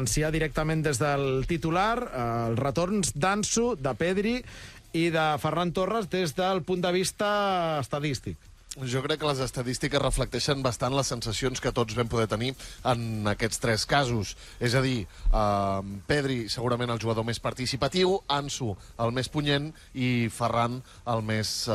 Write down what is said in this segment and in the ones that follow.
anunciar directament des del titular els retorns d'Ansu, de Pedri i de Ferran Torres des del punt de vista estadístic. Jo crec que les estadístiques reflecteixen bastant les sensacions que tots vam poder tenir en aquests tres casos. És a dir, Pedri segurament el jugador més participatiu, Ansu el més punyent i Ferran el més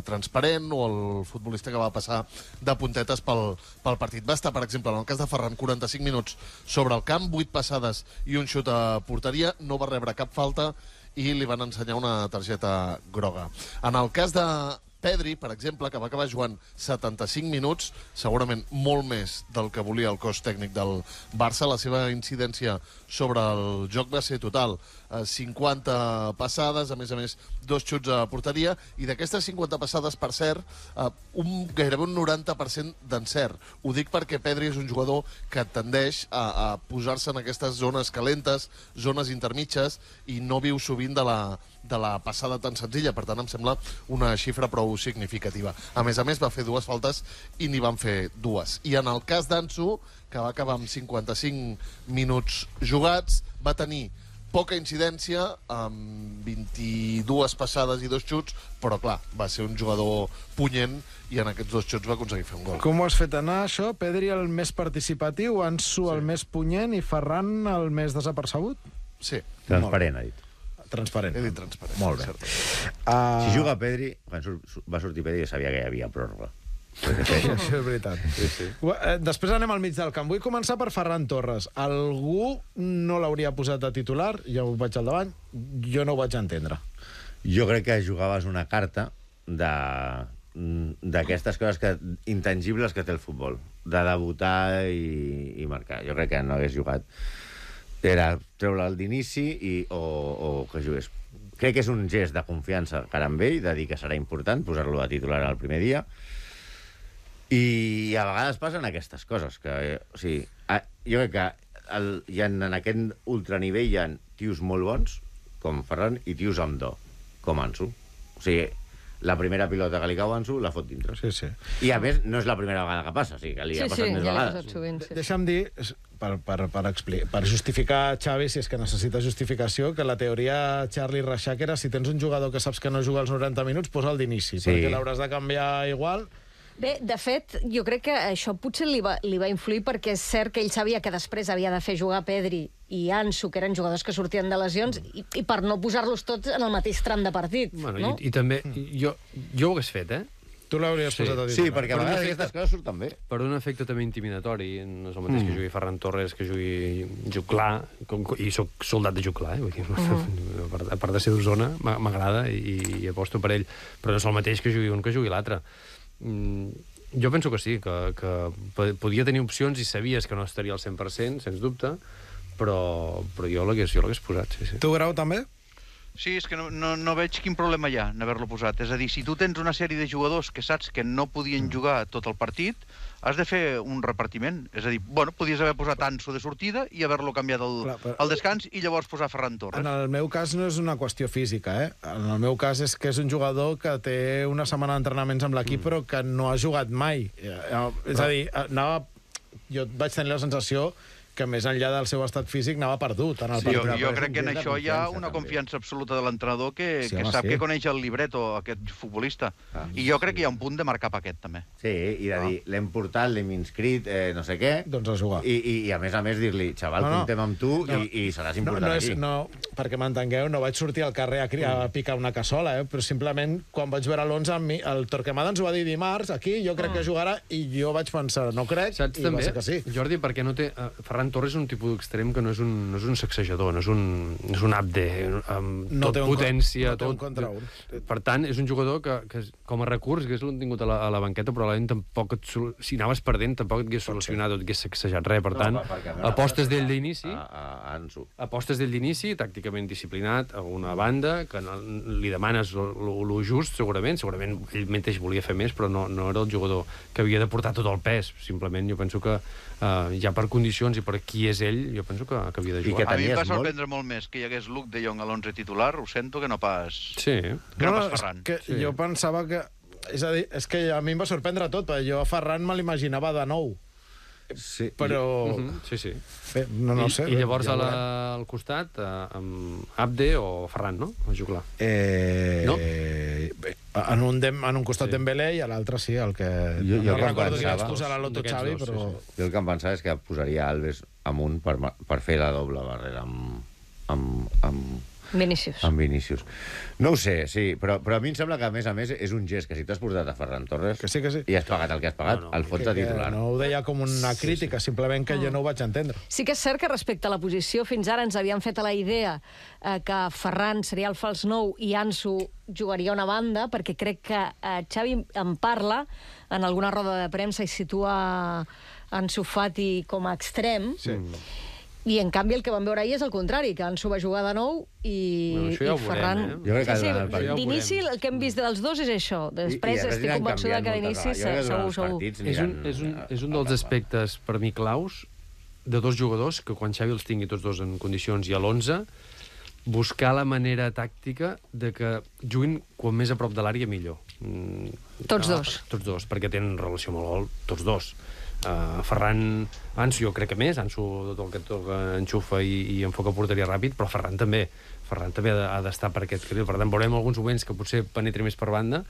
transparent, o el futbolista que va passar de puntetes pel partit. Va estar, per exemple, en el cas de Ferran, 45 minuts sobre el camp, 8 passades i un xut a porteria, no va rebre cap falta i li van ensenyar una targeta groga. En el cas de Pedri, per exemple, que va acabar jugant 75 minuts, segurament molt més del que volia el cos tècnic del Barça. La seva incidència sobre el joc va ser total. 50 passades, a més, 2 xuts a porteria, i d'aquestes 50 passades, per cert, gairebé un 90% d'encert. Ho dic perquè Pedri és un jugador que tendeix a posar-se en aquestes zones calentes, zones intermitges, i no viu sovint de la passada tan senzilla. Per tant, em sembla una xifra prou significativa. A més, va fer 2 faltes i n'hi van fer 2. I en el cas d'Ansu, que va acabar amb 55 minuts jugats, va tenir poca incidència, amb 22 passades i 2 xuts, però clar, va ser un jugador punyent i en aquests 2 xuts va aconseguir fer un gol. Com ho has fet anar, això? Pedri el més participatiu, Ansu el més punyent i Ferran el més desapercebut? Sí. Transparent, ha dit. Transparent. He dit transparent. Molt bé. Si juga Pedri, quan va sortir Pedri, sabia que hi havia pròrroga. Això és veritat. Sí. Després anem al mig del camp. Vull començar per Ferran Torres. Algú no l'hauria posat de titular, ja ho vaig al davant, jo no ho vaig entendre. Jo crec que jugaves una carta d'aquestes coses intangibles que té el futbol, de debutar i marcar. Jo crec que no hagués jugat. Era treure-el d'inici o que jugués. Crec que és un gest de confiança cara amb ell, de dir que serà important posar-lo de titular el primer dia. I a vegades passen aquestes coses que, o sigui, jo crec que en aquest ultranivell hi ha tios molt bons com Ferran i tios amb do com Ansu. O sigui, la primera pilota que li cau a Ansu la fot dintre. Sí. I a més no és la primera vegada que passa, o sigui, que li ha passat més vegades. Sovint, sí. Deixa'm dir, per justificar Xavi, si és que necessita justificació, que la teoria Charlie Reixac era: si tens un jugador que saps que no juga els 90 minuts, posa'l d'inici, perquè l'hauràs de canviar igual. Bé, de fet, jo crec que això potser li va influir, perquè és cert que ell sabia que després havia de fer jugar Pedri i Ansu, que eren jugadors que sortien de lesions, i per no posar-los tots en el mateix tram de partit. Bueno, no? I també, jo ho hagués fet, Tu l'hauries posat a dir. Sí, perquè a vegades aquestes coses surten bé. per un efecte també intimidatori. No és el mateix que jugui Ferran Torres, que jugui Juclar, i soc soldat de Juclar, vull dir, a part de ser d'Osona, m'agrada i aposto per ell, però no és el mateix que jugui un que jugui l'altre. Jo penso que sí, que podia tenir opcions i sabies que no estaria al 100%, sens dubte, però jo l'hagués posat, sí. Tu, Grau, també? Sí, és que no veig quin problema hi ha en haver-lo posat. És a dir, si tu tens una sèrie de jugadors que saps que no podien jugar tot el partit, has de fer un repartiment. És a dir, bueno, podies haver posat Ansu de sortida i haver-lo canviat al descans i llavors posar Ferran Torres. En el meu cas no és una qüestió física, En el meu cas és que és un jugador que té una setmana d'entrenaments amb l'equip però que no ha jugat mai. És a dir, jo vaig tenir la sensació que més enllà del seu estat físic anava perdut. Jo crec que en això hi ha una confiança absoluta de l'entrenador que sap que coneix el libreto, aquest futbolista. I jo crec que hi ha un punt de marcar paquet, també. Sí, i de dir, l'hem portat, l'hem inscrit, no sé què. Doncs a jugar. I a més dir-li, xaval, comptem amb tu i seràs important aquí. No, perquè m'entengueu, no vaig sortir al carrer a picar una cassola, però simplement quan vaig veure l'11, el Torquemada ens ho va dir dimarts, aquí, jo crec que jugarà, i jo vaig pensar, no crec, i va ser que sí. Jordi, perquè no té... Ferran Torres és un tipus d'extrem que no és un sacsejador, no és un abde amb tot potència, tot. Per tant, és un jugador que com a recurs hagués tingut a la banqueta, però tampoc, si anaves perdent, tampoc et hagués solucionat o et hagués sacsejat res. Per tant, apostes d'ell d'inici, tàcticament disciplinat, a una banda, que li demanes lo just, segurament ell mateix volia fer més, però no era el jugador que havia de portar tot el pes. Simplement jo penso que ja per condicions i per qui és ell, jo penso que havia de jugar. A mi em va sorprendre molt més que hi hagués Luke de Jong a l'11 titular, ho sento, que no pas Ferran. Jo pensava que... És a dir, és que a mi em va sorprendre tot, perquè jo a Ferran me l'imaginava de nou. Sí, però... Sí, sí. Bé, no sé. I llavors ja al costat, amb Abde o Ferran, no? A jugar. No? Bé, en un costat Dembélé i a l'altre sí, el que... Jo no que em recordo qui pensava- vaig posar a l'Otto D'aquests Xavi, dos, però... sí, Jo el que em pensava és que posaria Alves amunt per fer la doble barrera amb Vinícius. Vinícius. No ho sé, sí, però a mi em sembla que, a més, és un gest que si t'has portat a Ferran Torres Que sí. i has pagat el que has pagat, el fots de titular. No ho deia com una crítica, simplement que jo no ho vaig entendre. Sí que és cert que respecte a la posició, fins ara ens havien fet a la idea que Ferran seria el fals 9 i Ansu jugaria a una banda, perquè crec que Xavi en parla en alguna roda de premsa i situa Ansu Fati com a extrem. Sí. I, en canvi, el que vam veure ahir és el contrari, que Ansu va jugar de nou i, Bueno, això ja ho i Ferran... veurem, Jo crec que sí, durant el partit- d'inici el que hem vist dels dos és això. Després I estic aniran convençuda que canviant d'inici moltes vegades. Jo crec que durant els segur. partits És aniran- un dels aspectes, per mi, claus de dos jugadors que quan Xavi els tingui tots dos en condicions i a l'11, buscar la manera tàctica de que juguin quan més a prop de l'àrea millor. Tots dos. Tots dos, perquè tenen relació amb el gol, tots dos. Ferran, Ansu jo crec que més, Ansu tot el que enxufa i enfoca porteria ràpid, però Ferran també ha d'estar per aquest carril. Per tant, veurem alguns moments que potser penetri més per banda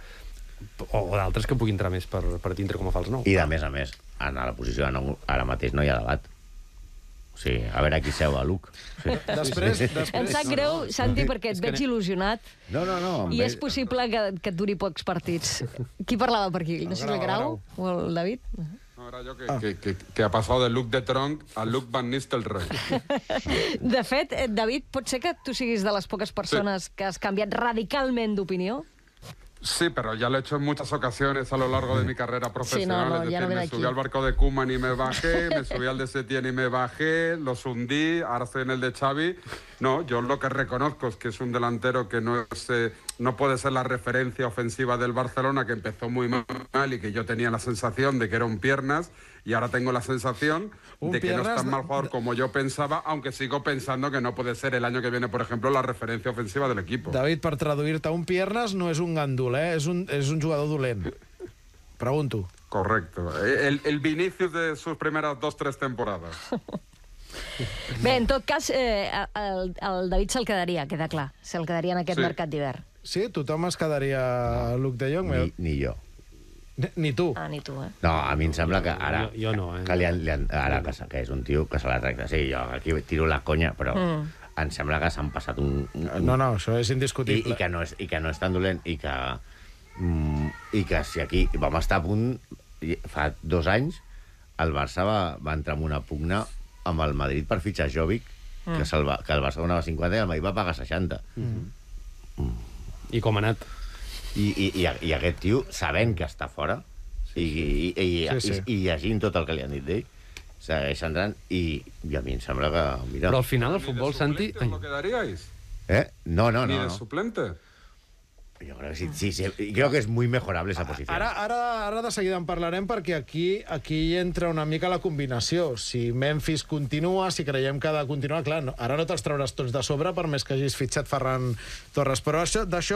o d'altres que pugui entrar més per dintre com a fals nou. I, de més a més, a la posició de nou, ara mateix no hi ha debat. O sigui, a veure qui seu a Luc. Sí. Després... Em sap greu, Santi, perquè et veig il·lusionat No. i és possible que et duri pocs partits. Qui parlava per aquí? No sé si el Grau o el David? No, era yo que ha pasado del look de Tronc al look Van Nistelrooy. De fet, David, pot ser que tu siguis de les poques persones que has canviat radicalment d'opinió? Sí, pero ya lo he hecho en muchas ocasiones a lo largo de mi carrera profesional. no, Es ya decir, no viene me aquí. subí al barco de Koeman y me bajé, me subí al de Setién y me bajé, los hundí, ahora estoy en el de Xavi. No, yo lo que reconozco es que es un delantero que no puede ser la referencia ofensiva del Barcelona, que empezó muy mal y que yo tenía la sensación de que era un piernas, y ahora tengo la sensación de que no es tan mal jugador como yo pensaba, aunque sigo pensando que no puede ser el año que viene, por ejemplo, la referencia ofensiva del equipo. David, per traduir-te, un piernas no és un gandul, és un jugador dolent. Pregunto. Correcto. El Vinicius de sus primeras 2-3 temporadas. Bé, en tot cas, el David se'l quedaria, queda clar. Se'l quedaria en aquest Sí. mercat d'hivern. Sí? Tothom es quedaria a Luc de Jong? Ni jo. Ni tu. Ah, ni tu, eh? No, a mi em sembla que ara... Jo no, Que ara que és un tio que se la tracta. Sí, jo aquí tiro la conya, però em sembla que s'han passat un... No, això és indiscutible. I que no és tan dolent i que si aquí vam estar a punt fa 2 anys el Barça va entrar en una pugna amb el Madrid per fitxar Jovic que el Barça donava 50 i el Madrid va pagar 60 I com ha anat? i aquest tio sabent que està fora i llegint tot el que li han dit d'ell segueix entrant i a mi em sembla que mira... Però al final el ¿Ni futbol, de Santi... suplente os lo quedaríais? No. ¿Ni de suplente? Yo creo que sí, creo que es muy mejorable esa posición. Ara de seguida en parlarem perquè aquí entra una mica la combinació. Si Memphis continua, si creiem que ha de continuar, clar, ara no te'ls trauràs tots de sobre per més que hagis fitxat Ferran Torres. Però d'això